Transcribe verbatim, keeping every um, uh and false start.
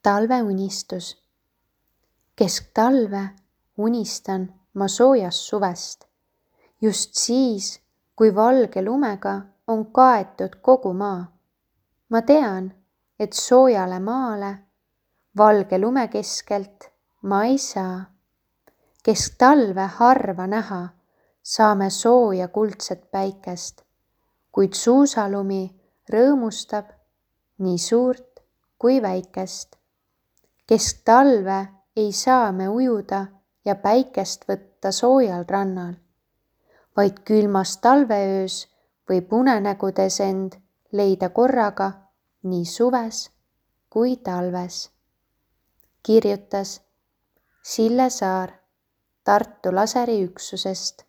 Talveunistus. Kesktalve unistan ma soojast suvest. Just siis, kui valge lumega on kaetud kogu maa. Ma tean, et soojale maale valge lume keskelt ma ei saa. Kesktalve harva näha saame sooja kuldset päikest, kuid suusalumi rõõmustab nii suurt kui väikest. Kesktalve ei saa me ujuda ja päikest võtta soojal rannal, vaid külmas talveöös võib unenägudes end leida korraga nii suves kui talves. Kirjutas Sille Saar Tartu laseriüksusest.